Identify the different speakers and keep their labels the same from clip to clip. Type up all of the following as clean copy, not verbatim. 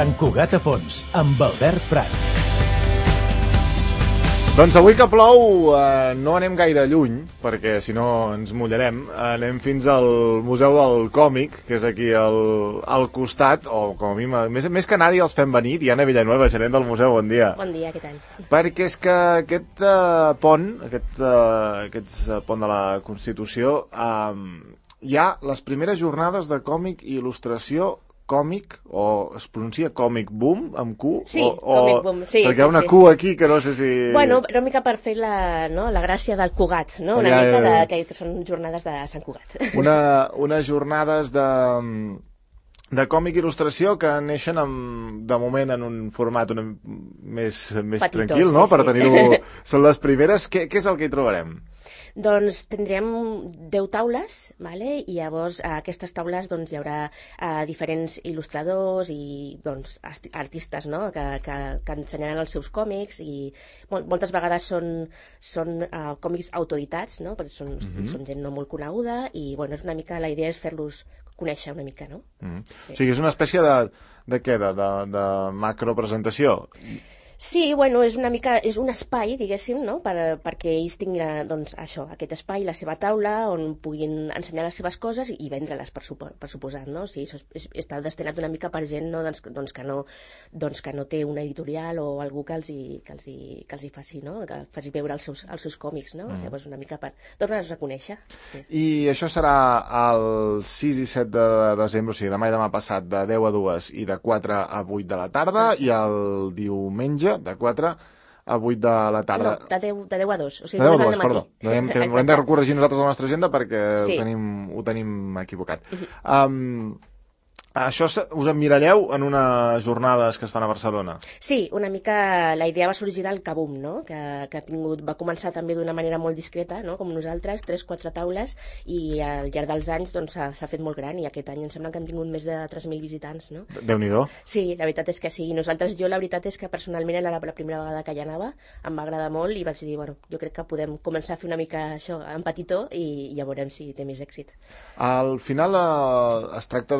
Speaker 1: Sant Cugat a fons, amb Albert Prat.
Speaker 2: Doncs avui que plou no anem gaire lluny, perquè si no ens mullarem. Anem fins al Museu del Còmic, que és aquí al costat, o com a mi, més que anar-hi els fem venir. Diana Villanueva, gerent del museu, bon dia.
Speaker 3: Bon dia, què tal?
Speaker 2: Perquè és que aquest pont de la Constitució, hi ha les primeres jornades de còmic i il·lustració còmic, o es pronuncia còmic boom, amb Q?
Speaker 3: Sí, còmic boom, sí.
Speaker 2: Perquè hi ha una Q aquí que no sé si...
Speaker 3: Bueno, era una mica per fer la gràcia del Cugat, no? Una mica que són jornades de Sant Cugat.
Speaker 2: Unes jornades de còmic i il·lustració que neixen de moment en un format més petitó, tranquil, no?
Speaker 3: Sí,
Speaker 2: per tenir-ho... Són les primeres. Què és el que hi trobarem?
Speaker 3: Doncs tindrem 10 taules, vale? I llavors a aquestes taules hi haurà diferents il·lustradors i artistes, no? que ensenyaran els seus còmics i moltes vegades són còmics autoeditats, no? Perquè són gent no molt coneguda i és una mica, la idea és fer-los conèixer una mica, no?
Speaker 2: Sí. O sigui, és una espècie de què? De macropresentació?
Speaker 3: Sí, és un espai, diguéssim, no? perquè ells tinguin aquest espai, la seva taula, on puguin ensenyar les seves coses i vendre-les, per suposat, no? O sigui, està destinat una mica per gent, no? que no té una editorial o algú que els hi faci, no? Que faci veure els seus còmics, no? Llavors una mica per donar-los a conèixer. Sí.
Speaker 2: I això serà el 6 i 7 de desembre, o sigui, demà i demà passat, de 10 a 2 i de 4 a 8 de la tarda, i el diumenge de 4 a 8 de la tarda.
Speaker 3: No, de 10 a 2. O sigui,
Speaker 2: de 10 a 2, perdó. Hem de corregir nosaltres a la nostra agenda perquè
Speaker 3: sí.
Speaker 2: ho tenim equivocat. Això us emmiralleu en unes jornades que es fan a Barcelona?
Speaker 3: Sí, una mica la idea va sorgir del Kabum, no? que va començar també d'una manera molt discreta, no? Com nosaltres, 3-4 taules, i al llarg dels anys s'ha fet molt gran, i aquest any em sembla que han tingut més de 3.000 visitants. No?
Speaker 2: Déu-n'hi-do.
Speaker 3: Sí, la veritat és que sí. Jo la veritat és que personalment era la primera vegada que hi anava, em va agradar molt i vaig dir, jo crec que podem començar a fer una mica això en petitó i ja veurem si té més èxit.
Speaker 2: Al final es tracta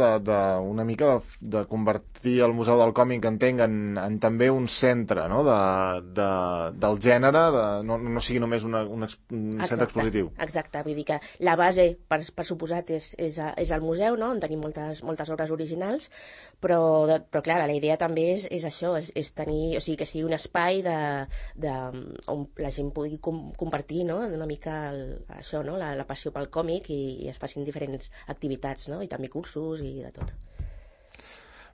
Speaker 2: una mica de convertir el Museu del Còmic, entenc, en també un centre, no? del gènere, no sigui només un centre expositiu.
Speaker 3: Exacte, vull dir que la base, per suposat, és el museu, no? On tenim moltes obres originals, però clar, la idea també és això, és tenir, o sigui, que sigui un espai on la gent pugui compartir, no? Una mica això, no? La passió pel còmic i es facin diferents activitats, no? I també cursos i de tot.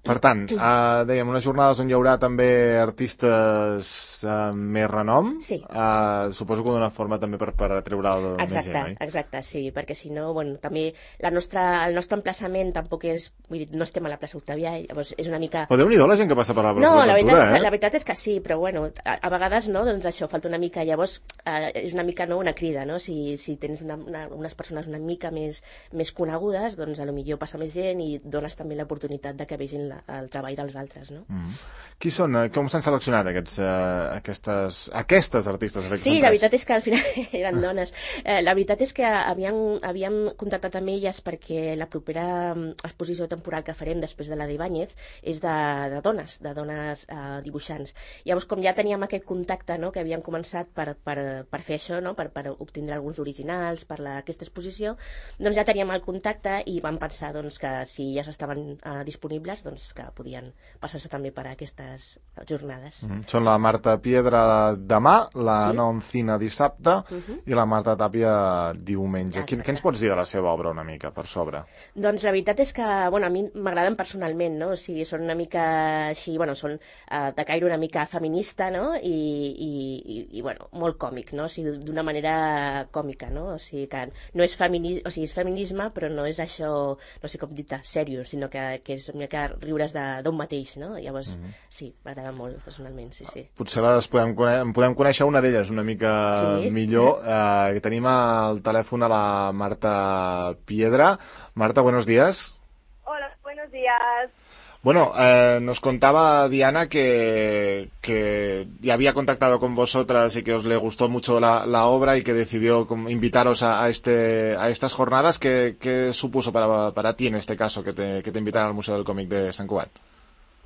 Speaker 2: Per tant, dèiem, unes jornades on hi haurà també artistes més renom.
Speaker 3: Sí.
Speaker 2: Suposo que d'una forma també per atreure més gent, oi?
Speaker 3: Exacte, sí, perquè si no, també el nostre emplaçament tampoc és, vull dir, no estem a la plaça Octavià, llavors és una mica...
Speaker 2: Però Déu-n'hi-do la gent que passa per la plaça
Speaker 3: de
Speaker 2: la Cultura,
Speaker 3: la veritat és que sí, però a vegades no, doncs això, falta una mica, llavors és una mica una crida, no? Si tens unes persones una mica més conegudes, doncs potser passa més gent i dones també l'oportunitat de que vegin el treball dels altres, no?
Speaker 2: Qui són? Com s'han seleccionat aquestes artistes?
Speaker 3: Sí, la veritat és que al final eren dones. La veritat és que havíem contactat amb elles perquè la propera exposició temporal que farem després de la d'Ibáñez és de dones dibuixants. Llavors, com ja teníem aquest contacte, no?, que havíem començat per fer això, no?, per obtindre alguns originals per aquesta exposició, doncs ja teníem el contacte i vam pensar que si ja estaven disponibles, doncs que podien passar-se també per aquestes jornades.
Speaker 2: Són la Marta Piedra demà, la Noncina dissabte i la Marta Tàpia diumenge. Què ens pots dir de la seva obra una mica, per sobre?
Speaker 3: Doncs la veritat és que, a mi m'agraden personalment, no? O sigui, són una mica així, són de caire una mica feminista, no? I molt còmic, no? O sigui, d'una manera còmica, no? O sigui, que no és és feminisme, però no és això, no sé com dir-te, seriós, sinó que és una mica riures d'un mateix, no? Llavors, sí, m'agrada molt, personalment, sí.
Speaker 2: Potser podem conèixer una d'elles una mica millor. Tenim al telèfon a la Marta Piedra. Marta, buenos días.
Speaker 4: Hola, buenos días.
Speaker 2: Bueno, nos contaba Diana que ya había contactado con vosotras y que os le gustó mucho la obra y que decidió invitaros a estas jornadas. ¿Qué supuso para ti en este caso que te invitaran al Museo del Cómic de Sant Cugat?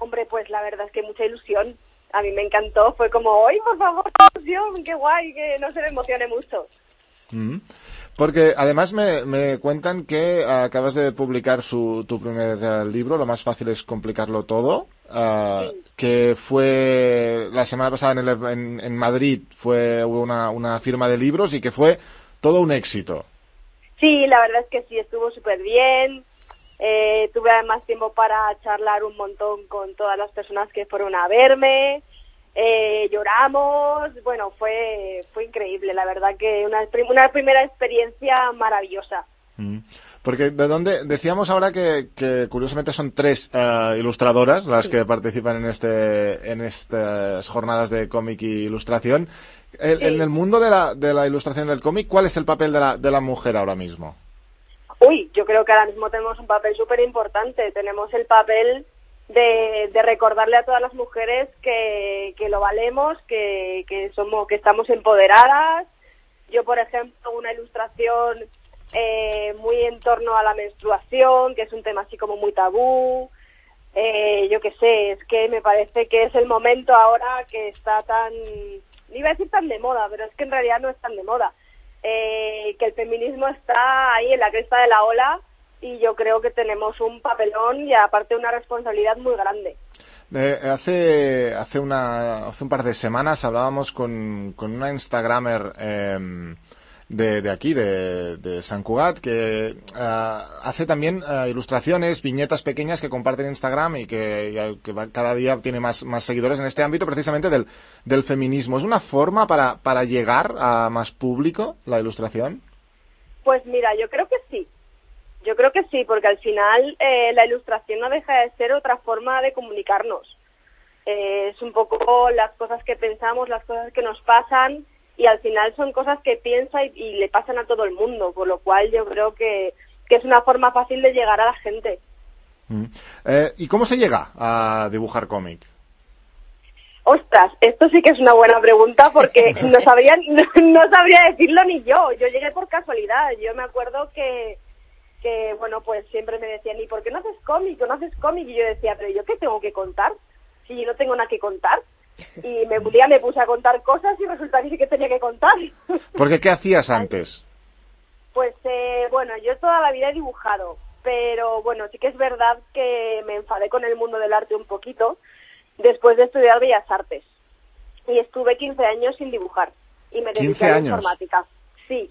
Speaker 4: Hombre, pues la verdad es que mucha ilusión. A mí me encantó, fue como, ¡ay, por favor, qué ilusión, qué guay, que no se me emocione mucho!
Speaker 2: Porque además me cuentan que acabas de publicar tu primer libro, Lo más fácil es complicarlo todo,
Speaker 4: Sí.
Speaker 2: que fue la semana pasada en Madrid, hubo una firma de libros y que fue todo un éxito.
Speaker 4: Sí, la verdad es que sí, estuvo súper bien. Tuve además tiempo para charlar un montón con todas las personas que fueron a verme. Lloramos, bueno, fue increíble, la verdad que una primera experiencia maravillosa.
Speaker 2: Porque de dónde decíamos ahora que curiosamente son 3 ilustradoras las que participan en estas jornadas de cómic y ilustración. En el mundo de la ilustración del cómic, ¿cuál es el papel de la mujer ahora mismo?
Speaker 4: Uy, yo creo que ahora mismo tenemos un papel súper importante. Tenemos el papel de recordarle a todas las mujeres que lo valemos, que estamos empoderadas. Yo, por ejemplo, una ilustración muy en torno a la menstruación, que es un tema así como muy tabú. Yo qué sé, es que me parece que es el momento ahora que está tan, no iba a decir tan de moda, pero es que en realidad no es tan de moda. Que el feminismo está ahí en la cresta de la ola y yo creo que tenemos un papelón y aparte una responsabilidad muy grande.
Speaker 2: Hace un par de semanas hablábamos con una Instagramer de aquí, de Sant Cugat, que hace también ilustraciones, viñetas pequeñas que comparte en Instagram y que cada día tiene más seguidores en este ámbito precisamente del feminismo. ¿Es una forma para llegar a más público la ilustración?
Speaker 4: Pues mira, yo creo que sí. Yo creo que sí, porque al final la ilustración no deja de ser otra forma de comunicarnos. Es un poco las cosas que pensamos, las cosas que nos pasan, y al final son cosas que piensa y le pasan a todo el mundo, por lo cual yo creo que es una forma fácil de llegar a la gente.
Speaker 2: ¿Y cómo se llega a dibujar cómic?
Speaker 4: Ostras, esto sí que es una buena pregunta porque no sabría decirlo ni yo. Yo llegué por casualidad. Yo me acuerdo que bueno, pues siempre me decían, ¿y por qué no haces cómic? ¿O no haces cómic? Y yo decía, ¿pero yo qué tengo que contar? Si yo no tengo nada que contar. Y un día me puse a contar cosas y resulta que sí que tenía que contar.
Speaker 2: Porque ¿qué hacías antes?
Speaker 4: Pues bueno, yo toda la vida he dibujado, pero bueno, sí que es verdad que me enfadé con el mundo del arte un poquito después de estudiar Bellas Artes. Y estuve 15 años sin dibujar y me dediqué a la informática. Sí,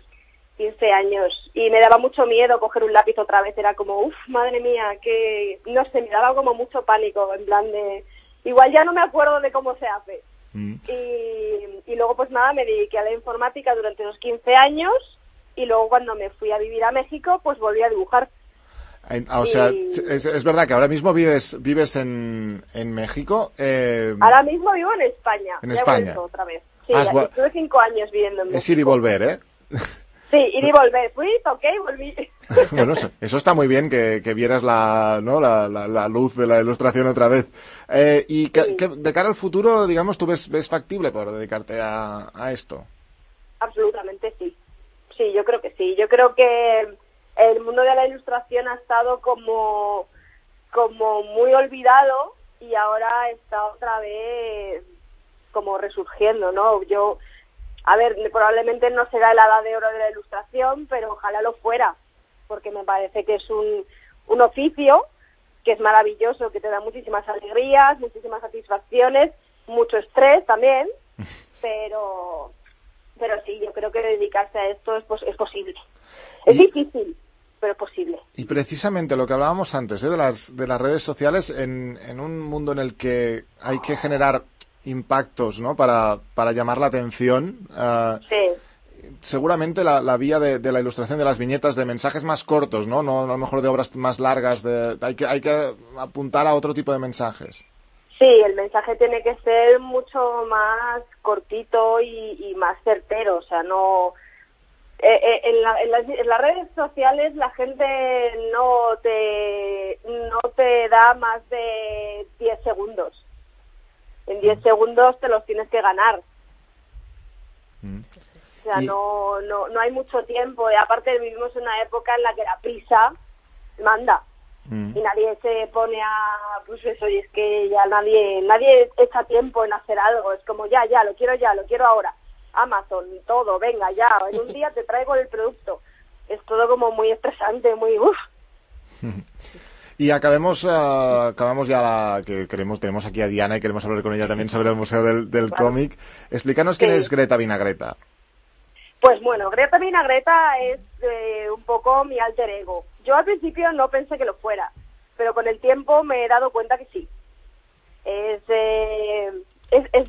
Speaker 4: 15 años. Y me daba mucho miedo coger un lápiz otra vez, era como, uff, madre mía, que no sé, me daba como mucho pánico, en plan de... Igual ya no me acuerdo de cómo se hace. Y luego pues nada, me dediqué a la informática durante los 15 años y luego cuando me fui a vivir a México pues volví a dibujar.
Speaker 2: O sea, es verdad que ahora mismo vives en México.
Speaker 4: Ahora mismo vivo en España.
Speaker 2: En España.
Speaker 4: He vuelto otra vez. Sí, estuve 5 años viviendo en México.
Speaker 2: Es ir y volver, ¿eh?
Speaker 4: Sí, ir y volver. Fui, toqué y volví.
Speaker 2: Bueno, eso está muy bien que vieras la luz de la ilustración otra vez. Y de cara al futuro, digamos, ¿tú ves factible poder dedicarte a esto?
Speaker 4: Absolutamente sí. Sí, yo creo que sí. Yo creo que el mundo de la ilustración ha estado como muy olvidado y ahora está otra vez como resurgiendo, ¿no? A ver, probablemente no será la edad de oro de la ilustración, pero ojalá lo fuera, porque me parece que es un oficio que es maravilloso, que te da muchísimas alegrías, muchísimas satisfacciones, mucho estrés también, pero sí, yo creo que dedicarse a esto es posible. Es difícil, pero posible.
Speaker 2: Y precisamente lo que hablábamos antes, de las redes sociales, en un mundo en el que hay que generar impactos, ¿no? Para llamar la atención.
Speaker 4: Sí.
Speaker 2: Seguramente la vía de la ilustración, de las viñetas, de mensajes más cortos, ¿no? No a lo mejor de obras más largas. Hay que apuntar a otro tipo de mensajes.
Speaker 4: Sí, el mensaje tiene que ser mucho más cortito y más certero. O sea, no... en las redes sociales la gente no te da más de 10 segundos. En 10 segundos te los tienes que ganar. O sea, no hay mucho tiempo. Y aparte vivimos en una época en la que la prisa manda. y nadie se pone a, pues eso, y es que ya nadie echa tiempo en hacer algo, es como ya, lo quiero ahora, Amazon, todo, venga, ya, en un día te traigo el producto, es todo como muy estresante, muy
Speaker 2: Y acabemos ya que tenemos aquí a Diana y queremos hablar con ella también sobre el Museo del Cómic. Explícanos quién es Greta Vinagreta.
Speaker 4: Pues bueno, Greta Vinagreta es un poco mi alter ego. Yo al principio no pensé que lo fuera, pero con el tiempo me he dado cuenta que sí. Es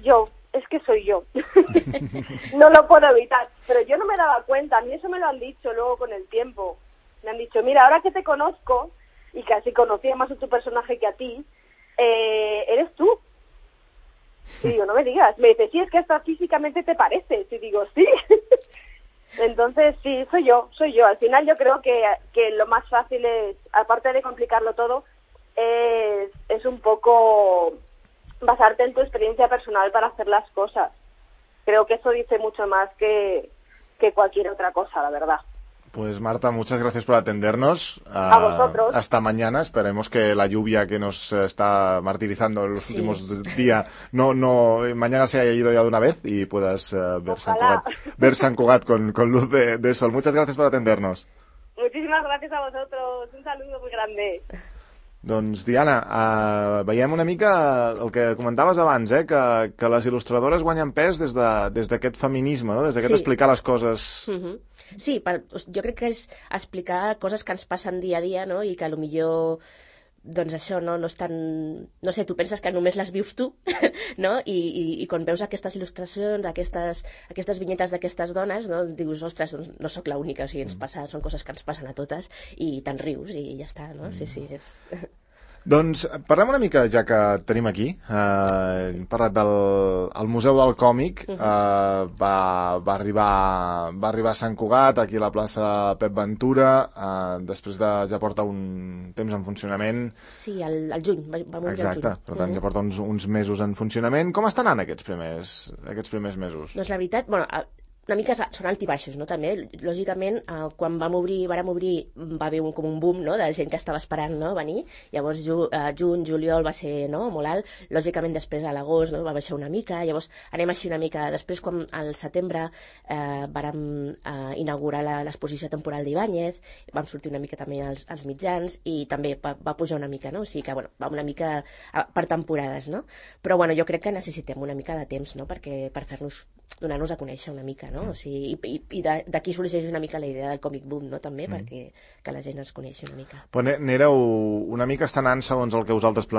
Speaker 4: yo, es que soy yo. No lo puedo evitar, pero yo no me daba cuenta. A mí eso me lo han dicho luego con el tiempo. Me han dicho, mira, ahora que te conozco, y casi conocía más a tu personaje que a ti, eres tú. Y digo, no me digas. Me dice, sí, es que hasta físicamente te pareces. Y digo, sí. Entonces, sí, soy yo. Al final yo creo que lo más fácil es, aparte de complicarlo todo, es un poco basarte en tu experiencia personal para hacer las cosas. Creo que eso dice mucho más que cualquier otra cosa, la verdad.
Speaker 2: Pues Marta, muchas gracias por atendernos.
Speaker 4: A vosotros.
Speaker 2: Hasta mañana. Esperemos que la lluvia que nos está martirizando en los últimos días mañana se haya ido ya de una vez y puedas ver Sant Cugat con luz de sol. Muchas gracias por atendernos.
Speaker 4: Muchísimas gracias a vosotros. Un saludo muy grande.
Speaker 2: Doncs, Diana, veiem una mica el que comentaves abans, que les il·lustradores guanyen pes des d'aquest feminisme, no? Des d'aquest explicar les coses...
Speaker 3: Sí, jo crec que és explicar coses que ens passen dia a dia, no? I que potser doncs això no és tan... No sé, tu penses que només les vius tu, no? I quan veus aquestes il·lustracions, aquestes vinyetes d'aquestes dones, no? Dius, ostres, doncs no sóc l'única, o sigui, són coses que ens passen a totes i te'n rius i ja està, no? Sí, és...
Speaker 2: Doncs parlem una mica, ja que tenim aquí, hem parlat del Museu del Còmic, va arribar a Sant Cugat, aquí a la plaça Pep Ventura, després ja porta un temps en funcionament.
Speaker 3: Sí, al juny, va morir al juny.
Speaker 2: Exacte, per tant ja porta uns mesos en funcionament. Com estan anant aquests primers mesos?
Speaker 3: Doncs la veritat, una mica són altibaixos, no? També, lògicament, quan vàrem obrir va haver com un boom, no? De gent que estava esperant, no? Venir. Llavors, juny, juliol va ser, no? Molt alt. Lògicament, després a l'agost, no? Va baixar una mica. Llavors, anem així una mica. Després, quan al setembre vàrem inaugurar l'exposició temporal d'Ibáñez, vam sortir una mica també als mitjans i també va pujar una mica, no? O sigui que, bueno, va una mica per temporades, no? Però, bueno, jo crec que necessitem una mica de temps, no? Per donar-nos a conèixer una mica, no? O sigui, i d'aquí sorgeix una mica la idea del Comic Boom, no? També, perquè que la gent ens coneixi una mica.
Speaker 2: Però n'éreu una mica estanant segons el que vosaltres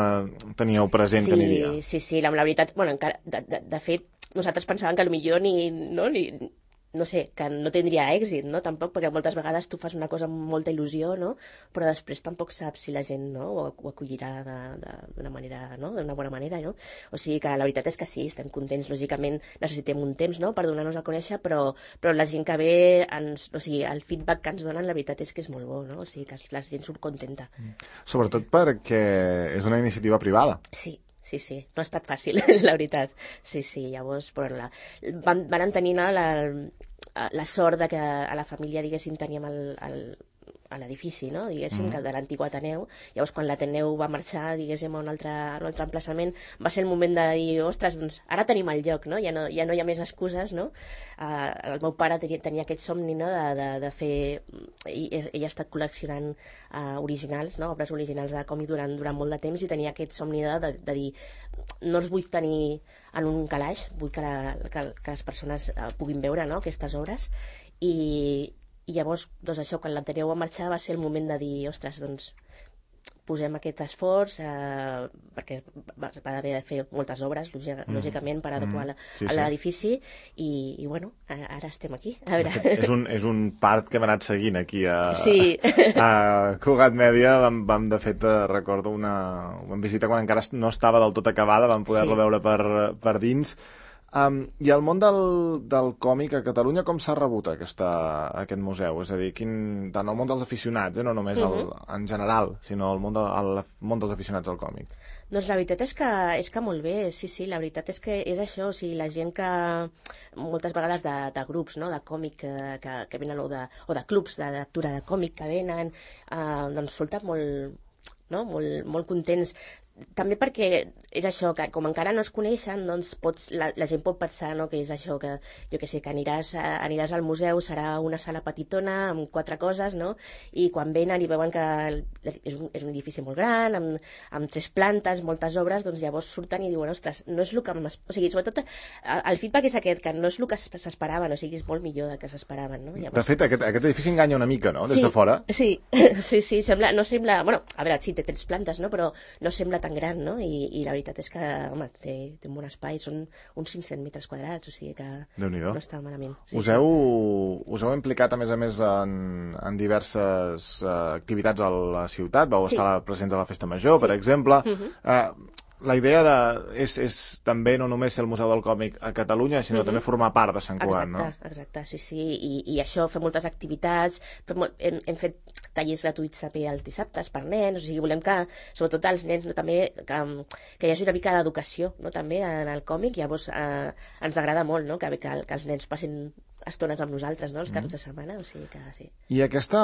Speaker 2: teníeu present que aniria.
Speaker 3: Sí, la veritat, bueno, encara, de fet, nosaltres pensàvem que potser no sé, que no tindria èxit, no? Tampoc, perquè moltes vegades tu fas una cosa amb molta il·lusió, no? Però després tampoc saps si la gent, no? ho acollirà d'una manera, no? D'una bona manera, no? O sigui que la veritat és que sí, estem contents, lògicament necessitem un temps, no? Per donar-nos a conèixer, però la gent que ve, o sigui, el feedback que ens donen, la veritat és que és molt bo, no? O sigui que la gent surt contenta.
Speaker 2: Sobretot perquè és una iniciativa privada.
Speaker 3: Sí, no ha estat fàcil, la veritat. Sí, llavors van tenir la sort de que a la família, diguéssim, teníem a l'edifici, no? Diguéssim, de l'antic Ateneu. Llavors, quan l'Ateneu va marxar, diguéssim, a un altre emplaçament, va ser el moment de dir, ostres, doncs ara tenim el lloc, no? Ja no hi ha més excuses, no? El meu pare tenia aquest somni, no? De fer... Ell ha estat col·leccionant originals, no? Obres originals de còmic durant molt de temps i tenia aquest somni de dir, no els vull tenir en un calaix, vull que les persones puguin veure, no? Aquestes obres i llavors, doncs això, quan l'Ateneu va marxar va ser el moment de dir, ostres, doncs posem aquest esforç perquè va haver de fer moltes obres, lògicament, per adequar a l'edifici i bueno, ara estem aquí. A veure.
Speaker 2: És un part que hem anat seguint aquí a Cugat Mèdia. Vam de fet, recordo, vam visitar quan encara no estava del tot acabada, vam poder-lo veure per dins. I el món del còmic a Catalunya com s'ha rebut aquest museu? És a dir, tant el món dels aficionats, no només en general, sinó el món dels aficionats al còmic.
Speaker 3: Doncs la veritat és que molt bé, sí, la veritat és que és això, o sigui, la gent que moltes vegades de grups, no?, de còmic que venen o de clubs de lectura de còmic que venen, doncs resulta molt no? Molt contents, també perquè és això, que com encara no es coneixen, doncs la gent pot pensar, no?, que és això, que jo què sé, que aniràs al museu, serà una sala petitona amb 4 coses, no?, i quan venen i veuen que és un edifici molt gran, amb 3 plantes, moltes obres, doncs llavors surten i diuen, ostres, no és el que o sigui, sobretot el feedback és aquest, que no és el que s'esperaven, o sigui, és molt millor del que s'esperaven, no? Llavors...
Speaker 2: De fet, aquest edifici enganya una mica, no?, des de fora.
Speaker 3: Sí, no sembla... Bueno, a veure, sí, té 3 plantes, no?, però no sembla tan gran, no? I la veritat és que, home, té un bon espai, són uns 500 metres quadrats, o sigui que no està malament.
Speaker 2: Us heu implicat, a més, en diverses activitats a la ciutat, vau estar presents a la Festa Major, per exemple. La idea és també no només ser el Museu del Còmic a Catalunya, sinó també formar part de Sant Cugat, no?
Speaker 3: Exacte, sí. I això, fer moltes activitats, hem fet tallers gratuïts també els dissabtes per nens, o sigui, volem que, sobretot els nens, no, també, que hi hagi una mica d'educació, no?, també en el còmic, llavors ens agrada molt, no?, que els nens passin estones amb nosaltres, no?, els caps de setmana, o sigui que sí.
Speaker 2: I aquesta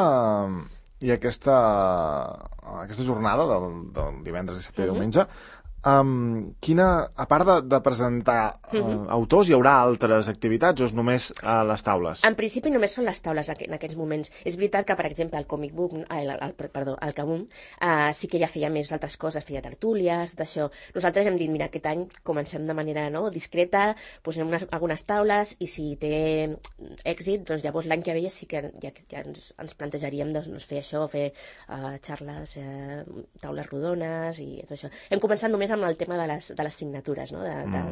Speaker 2: jornada del divendres, dissabte i diumenge, a part de presentar autors, hi haurà altres activitats o és només a les taules?
Speaker 3: En principi només són les taules en aquests moments. És veritat que, per exemple, el Comic Book, el Kabum, sí que ja feia més altres coses, feia tertúlies, tot això. Nosaltres hem dit, mira, aquest any comencem de manera discreta, posem algunes taules i si té èxit, doncs llavors l'any que ve sí que ja ens plantejaríem fer això, fer xarles, taules rodones i tot això. Hem començat només amb el tema de les signatures, no?,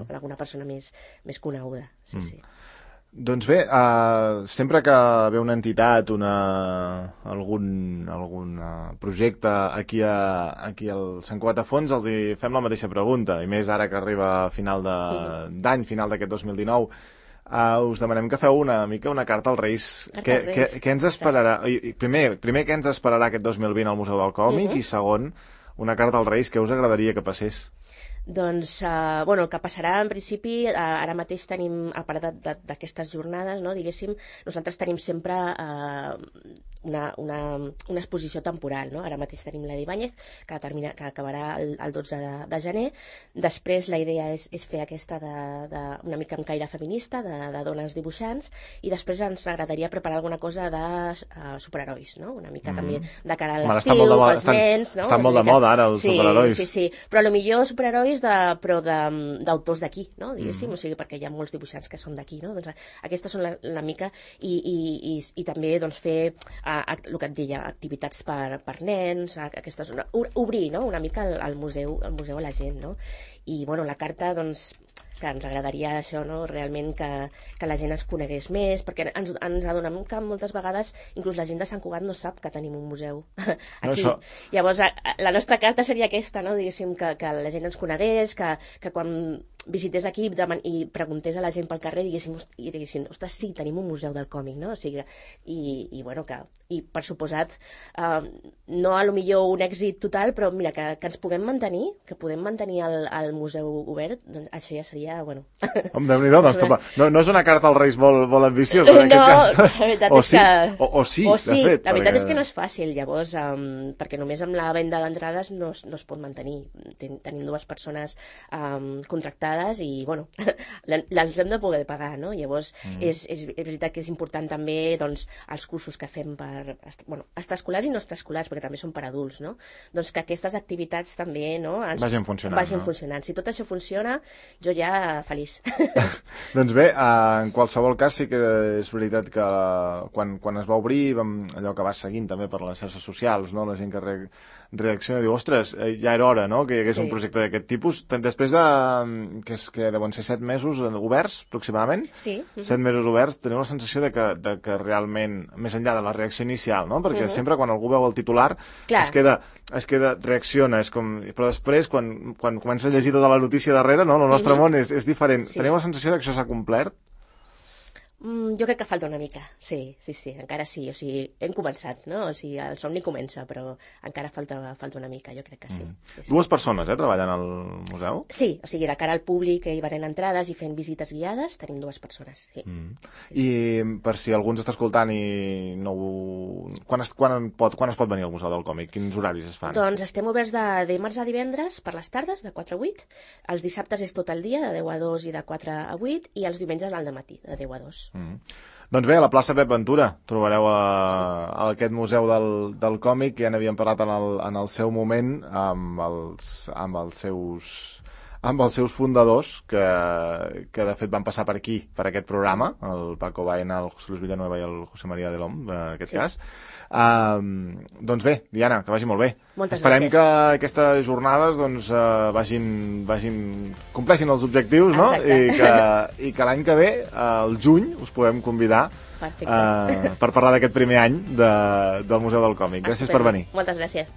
Speaker 3: d'alguna persona més coneguda. Sí.
Speaker 2: Doncs bé, sempre que ve una entitat, algun projecte aquí al Sant Cugat a Fons, els hi fem la mateixa pregunta, i més ara que arriba a final d'any, final d'aquest 2019, us demanem que feu una carta als Reis. Què ens esperarà? Primer, què ens esperarà aquest 2020 al Museu del Còmic? I segon, una carta als Reis, què us agradaria que passés?
Speaker 3: Doncs, el que passarà en principi, ara mateix tenim, a part d'aquestes jornades, no, diguéssim, nosaltres tenim sempre una exposició temporal, no? Ara mateix tenim la d'Ibáñez, que acabarà el 12 de gener. Després la idea és fer aquesta una mica amb caire feminista, de dones dibuixants, i després ens agradaria preparar alguna cosa de superherois, no? Una mica també de cara a l'estiu, pels nens, no?
Speaker 2: Estan molt de moda ara els superherois.
Speaker 3: Sí, però potser superherois d'autors d'aquí, no? Diguéssim, o sigui, perquè hi ha molts dibuixants que són d'aquí, no? Doncs aquestes són la mica, i també doncs fer el que et deia, activitats per nens, obrir, no?, una mica el museu a la gent, no? I bueno, la carta, doncs, que ens agradaria això, no?, realment que la gent es conegués més, perquè ens adonem que moltes vegades inclús la gent de Sant Cugat no sap que tenim un museu aquí. Llavors, la nostra carta seria aquesta, no?, diguéssim, que la gent ens conegués, que quan visités aquí i preguntés a la gent pel carrer diguéssim, ostres, sí, tenim un museu del còmic, no? O sigui, i bueno, i per suposat no a lo millor un èxit total, però mira, que ens puguem mantenir, que podem mantenir el museu obert, doncs això ja seria, bueno...
Speaker 2: Home, Déu-n'hi-do, doncs, no és una carta als Reis molt ambiciosa, en aquest cas.
Speaker 3: No, la veritat és que...
Speaker 2: O sí, de fet.
Speaker 3: La veritat és que no és fàcil, llavors, perquè només amb la venda d'entrades no es pot mantenir. Tenim 2 persones contractades i, bueno, les hem de poder pagar, no? Llavors, és veritat que és important també, doncs, els cursos que fem extraescolars i no extraescolars, perquè també són per adults, no? Doncs que aquestes activitats també, no?, vagin funcionant. Si tot això funciona, jo ja feliç.
Speaker 2: Doncs bé, en qualsevol cas sí que és veritat que quan es va obrir, allò que va seguint també per les xarxes socials, no?, la gent que reacciona i diu, ostres, ja era hora, no?, que hi hagués un projecte d'aquest tipus. Després que deuen ser 7 mesos oberts, aproximadament.
Speaker 3: Sí.
Speaker 2: 7 mesos oberts, teniu la sensació de que realment, més enllà de la reacció inicial, no?, perquè sempre quan algú veu el titular es queda, reacciona, però després, quan comença a llegir tota la notícia darrere, no?, el nostre món és diferent. Teniu la sensació que això s'ha complert?
Speaker 3: Jo crec que falta una mica, sí, encara sí, o sigui, hem començat, no? O sigui, el somni comença, però encara falta una mica, jo crec que sí. Sí.
Speaker 2: Dues persones, treballant al museu?
Speaker 3: Sí, o sigui, de cara al públic i venent entrades i fent visites guiades, tenim 2 persones, sí.
Speaker 2: I per si algú ens està escoltant i no ho... Quan es pot venir al Museu del Còmic? Quins horaris es fan?
Speaker 3: Doncs estem oberts de dimarts a divendres per les tardes, de 4 a 8. Els dissabtes és tot el dia, de 10 a 2 i de 4 a 8, i els diumenges al dematí, de 10 a 2.
Speaker 2: Doncs bé, a la plaça Pep Ventura trobareu aquest museu del còmic, que ja n'havíem parlat en el seu moment amb els seus fundadors, que de fet van passar per aquí, per aquest programa, el Paco Baena, el José Luis Villanueva i el José María de l'Om, en aquest cas. Doncs bé, Diana, que vagi molt bé.
Speaker 3: Moltes
Speaker 2: Esperem
Speaker 3: gràcies.
Speaker 2: que aquestes jornades doncs, compleixin els objectius, no? I que l'any que ve, al juny, us podem convidar per parlar d'aquest primer any del Museu del Còmic. Gràcies per venir.
Speaker 3: Moltes gràcies.